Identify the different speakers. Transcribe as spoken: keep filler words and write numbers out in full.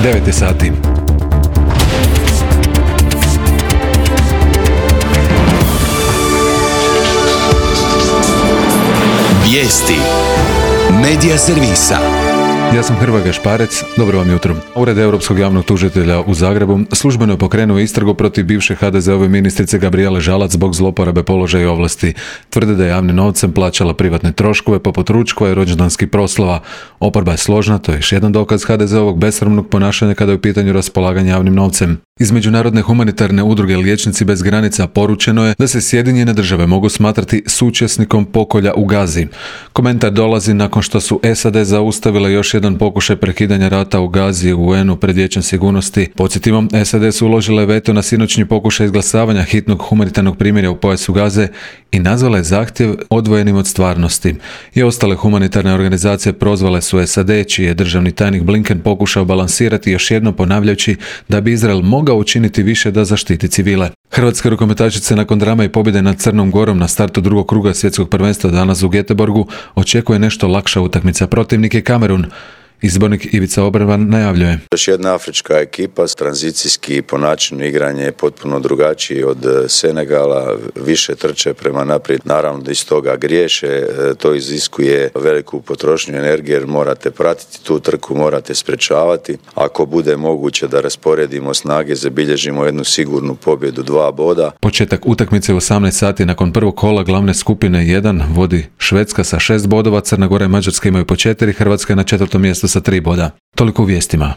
Speaker 1: devet je sati.
Speaker 2: Vijesti Medija servisa.
Speaker 1: Ja sam Hrvoje Šparec, dobro vam jutro. Ured Europskog javnog tužitelja u Zagrebu službeno je pokrenuo istragu protiv bivše ha de ze ove ministrice Gabrijele Žalac zbog zloporabe položaja i ovlasti. Tvrde da je javnim novcem plaćala privatne troškove poput ručkova i rođendanskih proslava. Oporba je složna, to je još jedan dokaz ha de ze ovog besramnog ponašanja kada je u pitanju raspolaganje javnim novcem. Iz Međunarodne humanitarne udruge Liječnici bez granica poručeno je da se Sjedinjene države mogu smatrati suučesnikom pokolja u Gazi. Komentar dolazi nakon što su es a de zaustavile još jedan pokušaj prekidanja rata u Gazi u u en u pred Vijećem sigurnosti. Podsjetimo, es a de su uložile veto na sinoćnji pokušaj izglasavanja hitnog humanitarnog primirja u pojasu Gaze i nazvale zahtjev odvojenim od stvarnosti. I ostale humanitarne organizacije prozvale su es a de, čiji je državni tajnik Blinken pokušao balansirati, još jednom ponavljajući da bi Izrael mogao učiniti više da zaštiti civile. Hrvatske rukometašice nakon drama i pobjede nad Crnom Gorom na startu drugog kruga svjetskog prvenstva danas u Göteborgu očekuje nešto lakša utakmica. Protivnik je Kamerun. Izbornik Ivica Obrvan najavljuje.
Speaker 3: Još jedna afrička ekipa, tranzicijski po načinu igranja je potpuno drugačiji od Senegala, više trče prema naprijed, naravno da iz toga griješe, to iziskuje veliku potrošnju energije jer morate pratiti tu trku, morate sprečavati. Ako bude moguće da rasporedimo snage, zabilježimo jednu sigurnu pobjedu, dva boda.
Speaker 1: Početak utakmice u osamnaest sati nakon prvog kola glavne skupine jedan vodi Švedska sa šest bodova, Crna Gora i Mađarska imaju po četiri, Hrvatska je na četvrtom mjestu sa tri boda. Toliko u vijestima.